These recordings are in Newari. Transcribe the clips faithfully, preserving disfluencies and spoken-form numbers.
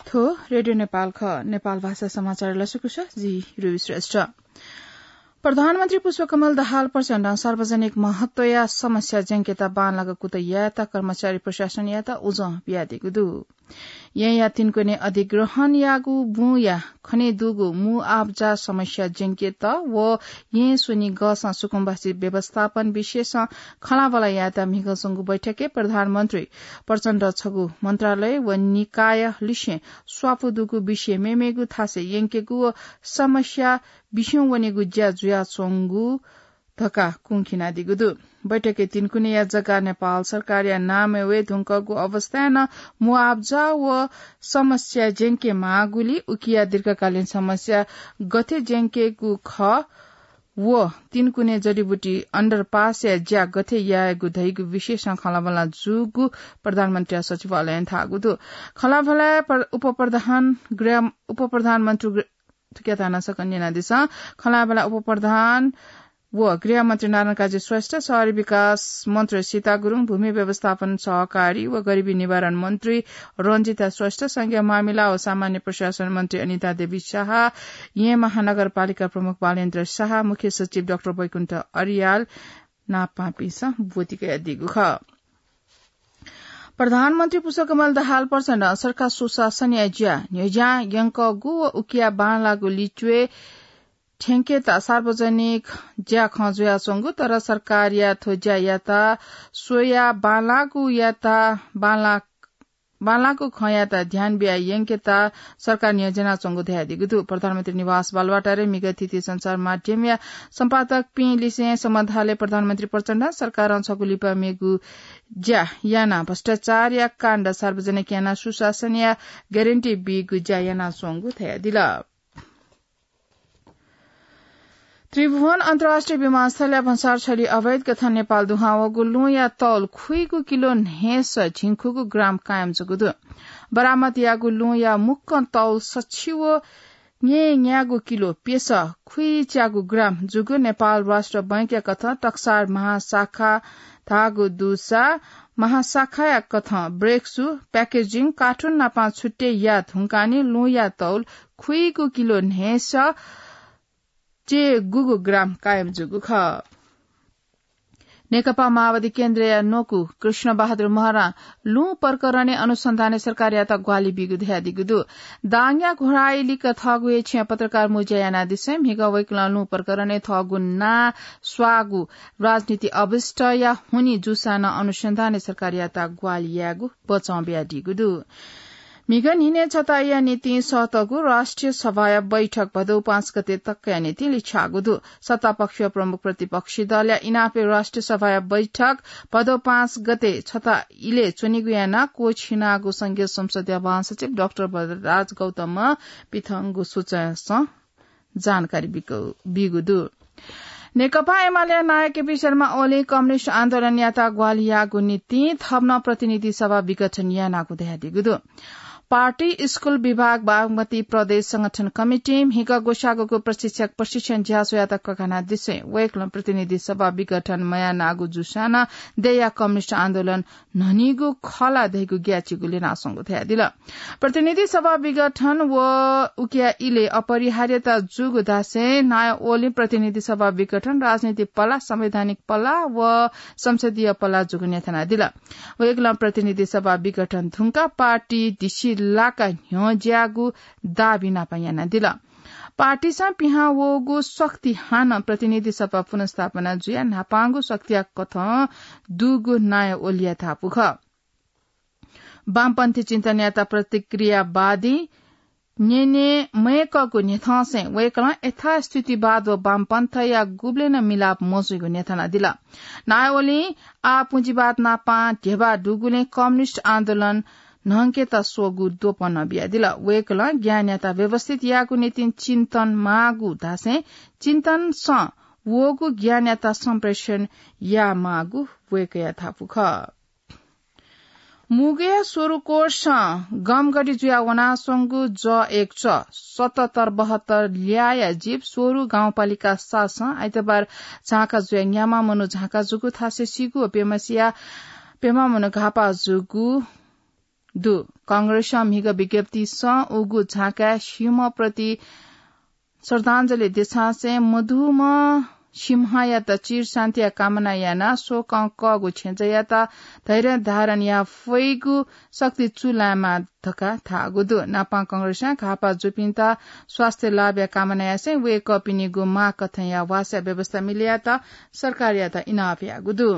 थ्व रेडियो नेपाल खः। नेपाल भाषा समाचार लसकुस, जि रवि श्रेष्ठ। प्रधानमन्त्री पुष्पकमल दाहाल प्रचण्डं सार्वजनिक महत्वया समस्या ज्यंकेत बांलाक कुतः यायेत कर्मचारी प्रशासनयात उजं बियादीगु दु। येँया तिनकुने अधिग्रहणयागु बुँया खनेदुगु मुआब्जा समस्या ज्यंकेत व येँ स्वनिगःसं सुकुम्बासी व्यवस्थापन विषयसं खँल्हाबल्हा यायेत म्हिगः च्वंगु बैठकय् प्रधानमन्त्री प्रचण्ड छगू मन्त्रालय व निकाय लिसें स्वापू दुगु विषय मेमेगु थासय् यंकेगु व समस्या बिस्युं वनेगु ज्या जुयाच्वंगु धकाः कुंखिनादीगु दु। बैठकय् तिनकुनेया जग्गा नेपाल सरकारया नामय् वये धुंकूगु अवस्थाय् नं मुआब्जा व समस्या ज्यंके माःगुलिं उकिया दीर्घकालीन समस्या गथे ज्यंकेगु खः व तिनकुने जडीबुटी underpass या ज्या गथे यायेगु धइगु विषयसं खँल्हाबल्हा जूगु प्रधानमन्त्रीया सचिवालयं धाःगु दु। खँल्हाबल्हाय् प्र-, उपप्रधान गृह, उपप्रधानमन्त्री गृह, थुकिया धाना सकल न्यनादिसँ। खँल्हाबल्हाय् उपप्रधान व गृहमन्त्री नारायण काजी श्रेष्ठ, शहरी विकास मन्त्री सीता गुरुङ, भूमि व्यवस्थापन सहकारी व गरिबी निवारण मन्त्री रञ्जिता श्रेष्ठ, संघीय मामिला व सामान्य प्रशासन मन्त्री अनिता देवी शाह, येँ महानगरपालिका प्रमुख बालेन्द्र शाह, मुख्य सचिव डाक्टर वैकुण्ठ अर्याल नापं पिसं ब्वति कयादीगु खः। प्रधानमन्त्री पुष्पकमल दाहाल प्रचण्डं सरकार सुशासनया ज्या न्ह्यज्यां यंकूगु व उकिया बांलाःगु लिच्वय् थ्यंकेत सार्वजनिक ज्याखँ जुयाच्वंगु, तर सरकारया थ्व ज्यायात स्वयाः बांलाःगुयात बांला-, बांलाःगु खँयात ध्यान बियाः यंकेत सरकार न्ह्यज्यानाच्वंगु धयादीगु दु। प्रधानमन्त्री निवास बालुवाटारय् म्हिगः थीथी सञ्चार माध्यमया सम्पादकपिं लिसें संवाद हालय् प्रधानमन्त्री प्रचण्डं सरकारं छगू लिपा मेगु ज्या यानाः भ्रष्टाचारया काण्ड सार्वजनिक यानाः सुशासनया ग्यारेन्टी बीगु ज्या यानाच्वंगु धयादिल। त्रिभुवन अन्तर्राष्ट्रिय विमानस्थलया भन्सार छली अवैध कथं नेपाल दुहां वःगु लुँया तौल खुइगु किलो न्हय्स झिंखुगू ग्राम कायम जूगु दु। बरामद याःगु लुँया मुक्कं तौल सछि व न्येन्यागू किलो प्यसः खुइच्यागू ग्राम जूगु नेपाल राष्ट्र बैंकया कथं टक्सार महाशाखा धाःगु दुसा महाशाखाया कथं ब्रेक्सु, प्याकेजिङ, कार्टुन नापं छुट्टै याये धुंकाः नं लुँया तौल खुइगु किलो न्हय्स च्यय्गूगू ग्राम कायम जूगु खः। नेकपा माओवादी केन्द्रया न्वकू कृष्ण बहादुर महरां लुँ प्रकरणय् अनुसन्धानय् सरकारयात ग्वाहालि बीगु धयादीगु दु। दाङया घोडाइलिक थःगु हे छेँय् पत्रकार मुँज्या यानादिसें म्हिगः वय्कलं लुँ प्रकरणय् थःगु नां स्वाःगु राजनीति अभिष्टया हुनिं जूसां नं अनुसन्धानय् सरकारयात ग्वाहालि यायेगु बचं बियादीगु दु। म्हिगः न्हिनय् छता इलय् निंतिं सःतःगु राष्ट्रिय सभाया बैठक भदौ पाँच गते तकया निंतिं लिछ्याःगु दु। सत्तापक्ष व प्रमुख प्रतिपक्षी दलया इनापय् राष्ट्रिय सभाया बैठक भदौ पाँच गते छता इलय् च्वनेगु यानाः क्वःछिनागु संघीय संसदया महासचिव डाक्टर वरदराज गौतमं पिथंगु सूचना सं जानकारी बिक-, बीगु दु। नेकपा एमालेया नायः केपी शर्मा ओलीं कम्युनिस्ट आन्दोलनयात ग्वाहालि याःगु निंतिं थप नं प्रतिनिधि सभा विघटन यानागु धयादीगु दु। पार्टी स्कूल विभाग बागमती प्रदेश संगठन कमिटीं म्हिगः ग्वसाःग्वःगु प्रशिक्षक प्रशिक्षण ज्याझ्वःयात ककानादिसें वय्कलं प्रतिनिधि सभा विघटन मयानागु जूसां नं देय्या कम्युनिस्ट आन्दोलन न्हनीगु खः ला धइगु ग्याःचिकु ल्यनाच्वंगु धयादिल। प्रतिनिधि सभा विघटन व उकिया इलय् अपरिहार्यता जूगु धासें नायः ओलीं प्रतिनिधि सभा विघटन राजनीतिक पला, संवैधानिक पला व संसदीय पला जूगु न्ह्यथनादिल। वय्कलं प्रतिनिधि सभा विघटन धुंकाः पार्टी दिसिलाका न्ह्यज्याःगु दाबी नापं यानादिल। पार्टीसं पिहां वःगु शक्ति हानं प्रतिनिधि सभा पुनर्स्थापना जुयाः न्हापांगु शक्तिया कथं दुगु नायः ओलीया धापू खः। वामपन्थी चिन्तनयात प्रतिक्रियावादी न्यने मयंकःगु न्ह्यथंसें वय्कलं यथास्थितिवाद व वामपन्थया गुबलें नं मिलाप मजूगु न्ह्यथनादिल। नायः ओलीं आः पुँजीवाद नापं ध्यबा दुगुलिं कम्युनिस्ट आन्दोलन न्हंकेत स्वःगु द्वपं नं बियादिल। वय्कलं ज्ञानयात व्यवस्थित यायेगु निंतिं चिन्तन माःगु धासें चिन्तनसं वःगु ज्ञानयात सम्प्रेषण यायेमाःगु वय्कःया धापू खः। मुगुया स्वरु कोर्सं गमगढी जुयाः वनाच्वंगु ज एक च सतहत्तर बहत्तर ल्याःया जीप स्वरु गाउँपालिका सातसं आइतबार झांका जुयाः न्याम्ह मनू झांका जूगु थासय् सीगु व प्यम्हसिया प्यम्ह मनू घाःपाः जूगु दु। कांग्रेसं म्हिगः विज्ञप्तिसं उगु झाँकाय् सिंहप्रति श्रद्धाञ्जली देछासें मधुम्ह सिंहयात चिर शान्तिया कामना यानाः शोकं कःगु छेँजःयात धैर्य धारण याये फइगु शक्ति चूलायेमा धकाः धाःगु दु। नापां कांग्रेसं घाःपाः जूपिन्त स्वास्थ्य लाभया कामना यासें वय्कःपिनिगु माःकथंया वासया व्यवस्था मिलेयात सरकारयात इनाप याःगु दु।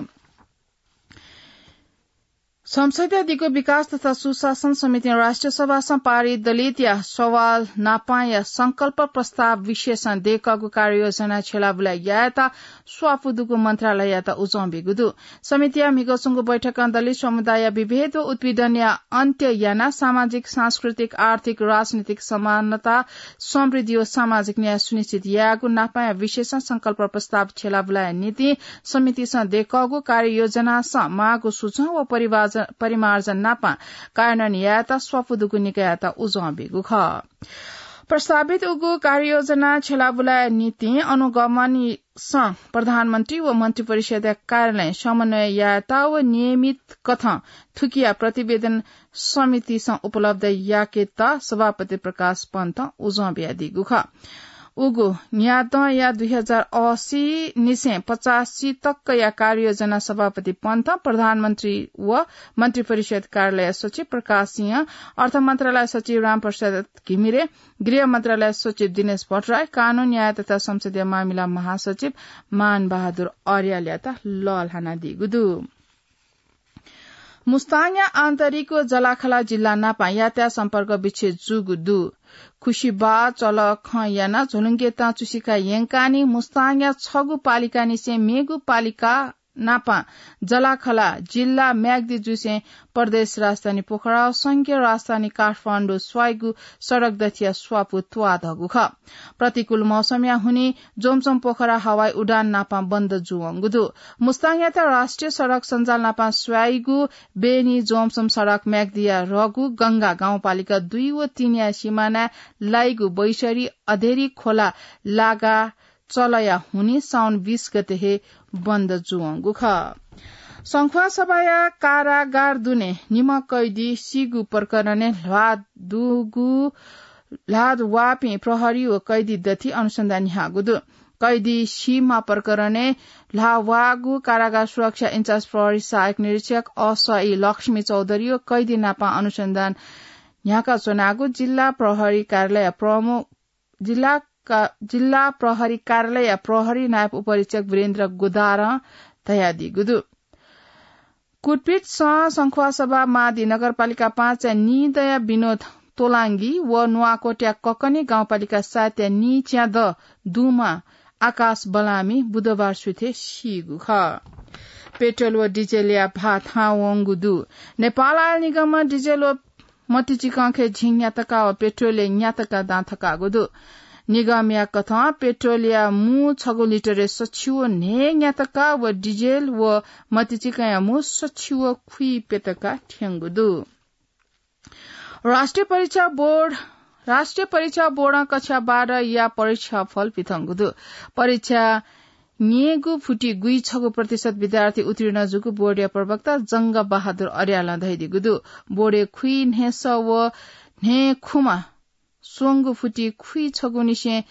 संसदया दिगु विकास तथा सुशासन समितिं राष्ट्रिय सभासं पारित दलितया सवाल नापांया संकल्प प्रस्ताव विशेषं दय्कःगु कार्ययोजना छ्यलाबुलाय् यायेत स्वापू दुगु मन्त्रालययात उजं ब्यूगु दु। समितिया म्हिगः च्वंगु बैठकं दलित समुदायया विभेद व उत्पीडनया अन्त्य यानाः सामाजिक, सांस्कृतिक, आर्थिक, राजनीतिक समानता, समृद्धि व सामाजिक न्याय सुनिश्चित यायेगु नापांया विशेषं संकल्प प्रस्ताव छ्यलाबुलाया निंतिं समितिसं दय्कःगु कार्ययोजनासं माःगु सुझाव व परिवार्ज-, परिमार्जन नापां कार्यान्वयन यायेत स्वापू दुगु निकाययात उजं ब्यूगु खः। प्रस्तावित उगु कार्ययोजना छ्यलाबुलाया निंतिं अनुगमनसं प्रधानमन्त्री व मन्त्रिपरिषदया कार्यालयं समन्वय यायेत व नियमित कथं थुकिया प्रतिवेदन समितिसं उपलब्ध याकेत सभापति प्रकाश पन्थं उजं बियादीगु खः। उगु न्यादँया दुई हजार असी निसें पचासी तकया कार्ययोजना सभापति पन्थं, प्रधानमन्त्री व मन्त्रिपरिषद कार्यालय सचिव प्रकाश सिंह, अर्थ मन्त्रालय सचिव रामप्रसाद घिमिरे, गृह मन्त्रालय सचिव दिनेश भट्टराई, कानून, न्याय तथा संसदीय मामिला महासचिव मान बहादुर अर्यालयात लःल्हानादीगु दु। मुस्ताङया आन्तरिक व जलाखला जिल्ला नापं यातायात सम्पर्क विच्छेद जूगु दु। खुसिबाः चलः खँ यानाः झोलुंकेतं चुसिका यंकाः नि मुस्ताङया छगू पालिकानिसें मेगु पालिका नापं जलाखला जिल्ला म्याग्दी जुसें प्रदेश राजधानी पोखरा व संघीय राजधानी काठमाडौं स्वाइगु सडक दथिया स्वापू त्वाःधःगु खः। प्रतिकूल मौसमया हुनिं जोमसोम पोखरा हवाई उडान नापं बन्द जूवंगु दु। मुस्ताङयात राष्ट्रिय सडक सञ्जाल नापं स्वाइगु बेनी जोमसोम सडक म्याग्दीया ह्रगु गंगा गाउँपालिका दुई व तीनया सिमानाय् लाइगु बैसरी, अधेरी खोला लागा चलःया हुनिं साउन बीस गते हे बन्द जूवंगु खः। संख्वासभाया कारागार दुने निम्ह कैदी सीगु प्रकरणय् ल्हाः दुगु ल्हाः वाःपिं प्रहरी व कैदी दथि अनुसन्धान न्ह्याःगु दु। कैदी सीम्ह प्रकरणय् ल्हाः वाःगु कारागार सुरक्षा इन्चार्ज प्रहरी सहायक निरीक्षक असई लक्ष्मी चौधरी व कैदी नापं अनुसन्धान न्ह्याका च्वनागु जिल्ला प्रहरी कार्यालय प्रमुख, जिल्ला का-, जिल्ला प्रहरी कार्यालय प्रहरी नायब उपरीक्षक वीरेन्द्र गोदारं धयादीगु दु। कुटपिटसं संख्वासभा मादी नगरपालिका पाँचया नीदँया विनोद तोलाङ्गी व नुवाकोटया ककनी गाउँपालिका सातया नीच्यादँ दुम्ह आकाश बलामी बुधबार सुथय् सीगु खः। पेट्रोल व डिजेलया भाः थाहां वंगु दु। नेपाल आयल निगमं डिजेल व मतिचिकंखय् झिंन्यातका व पेट्रोलय् न्यातका दां थकाःगु दु। निगमया कथं पेट्रोलया मू छगू लिटरय् सछि व न्हय् न्यातका व डिजेल व मतिचिकंया मू सछि व खुइप्यतका थ्यंगु दु। राष्ट्रिय परीक्षा बोर्ड, राष्ट्रिय परीक्षा बोर्डं कक्षा बाह्रया परीक्षाफल पिथंगु दु। परीक्षा न्यय्गू फुति गुइछगू प्रतिशत विद्यार्थी उत्तीर्ण जूगु बोर्डया प्रवक्ता जंग बहादुर अर्यालं धयादीगु दु। बोर्डय् खुइन्हय्सः व न्हय्खुम्ह स्वंगू फुति खुइछगूनिसें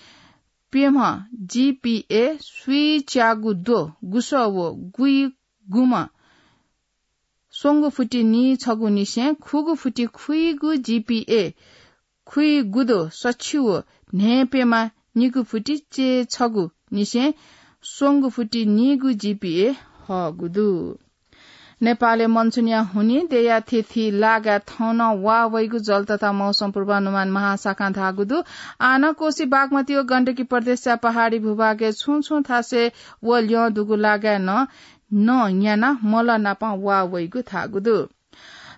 प्यम्ह जीपीए, सुइच्यागू द्वः गुसः व गुइगुम्ह स्वंगू फुति नीछगूनिसें खुगू फुति खुइगू जीपीए, खुइगू द्वः सछि व न्हय्प्यम्ह निगू फुति चय्छगूनिसें स्वंगू फुति नीगू जीपीए हःगु दु। नेपालय् मनसुनया हुनिं देय्या थीथी लागाय् थौं नं वाः वइगु जल तथा मौसम पूर्वानुमान महाशाखां धाःगु दु। आः नं कोशी, बागमती व गण्डकी प्रदेशया पहाडी भूभागय् छुं छुं थासय् व ल्यं दुगु लागाय् नं नं न्यानाः मलः नापं वाः वइगु धाःगु दु।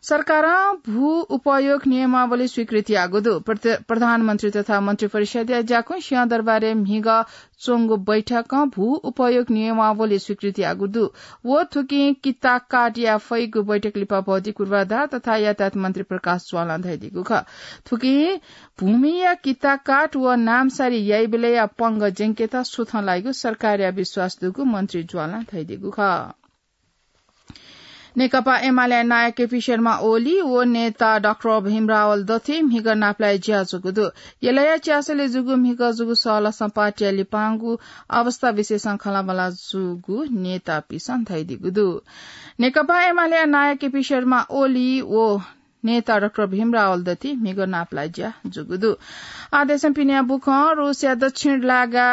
सरकारं भू उपयोग नियमावली स्वीकृत याःगु दु। प्रध-, प्रधानमन्त्री तथा मन्त्रिपरिषदया ज्याकुँ सिंहदरबारय् म्हिगः च्वंगु बैठकं भू उपयोग नियमावली स्वीकृत याःगु दु। व थुकिं किता काट याये फइगु बैठक लिपा भौतिक पूर्वाधार तथा यातायात मन्त्री प्रकाश ज्वालं धयादीगु खः। थुकिं भूमिया किता काट व नामसारी याइबलय्या पंगः ज्यंकेत सुथं लाइगु सरकारया विश्वास दुगु मन्त्री ज्वालं धयादीगु खः। नेकपा एमाले नायः केपी शर्मा ओली व नेता डाक्टर भीम रावल दथुइ म्हिगः नापलाये ज्या जूगु दु। यलया च्यासलय् जूगु म्हिगः जूगु सःलासं पार्टीया लिपांगु अवस्था विषयसं खँल्हाबल्हा जूगु नेतापिसं धयादीगु दु। नेकपा एमाले नायः केपी शर्मा ओली व नेता डाक्टर भीम रावल दथुइ म्हिगः नापलाये ज्या जूगु दु। आदेशं पिनिया बुखं रूसया दक्षिण लागा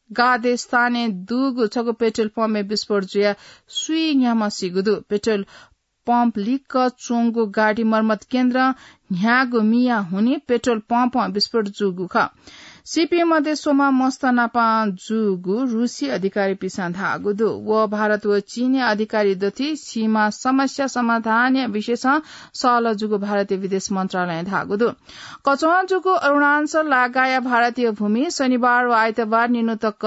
गादेस्तानय् दुगु छगू पेट्रोल पम्पय् विस्फोट जुयाः स्वीन्याम्ह सीगु दु। पेट्रोल पम्प लिक्क च्वंगु गाडी मर्मत केन्द्रं न्ह्याःगु मिया हुनिं पेट्रोल पम्पं विस्फोट जूगु खः। सीपिं मध्ये स्वम्ह मस्त नाप जूगु रूसी अधिकारीपिसं धाःगु दु। व भारत व चीनया अधिकारी दथुइ सीमा समस्या समाधानया विषयसं सहलह जूगु भारतीय विदेश मन्त्रालयं धाःगु दु। कच्वं जूगु अरुणाञ्चल लागाया भारतीय भूमि शनिबार व आइतबार निन्हु तक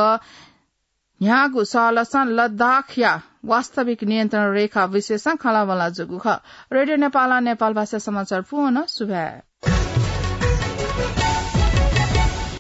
न्ह्याःगु सहलहसं लद्दाखया वास्तविक नियन्त्रण रेखा विषयसं खँल्हाबल्हा जूगु खः। रेडियो नेपालं नेपाल भाषा समाचार पूवं सुभाय्।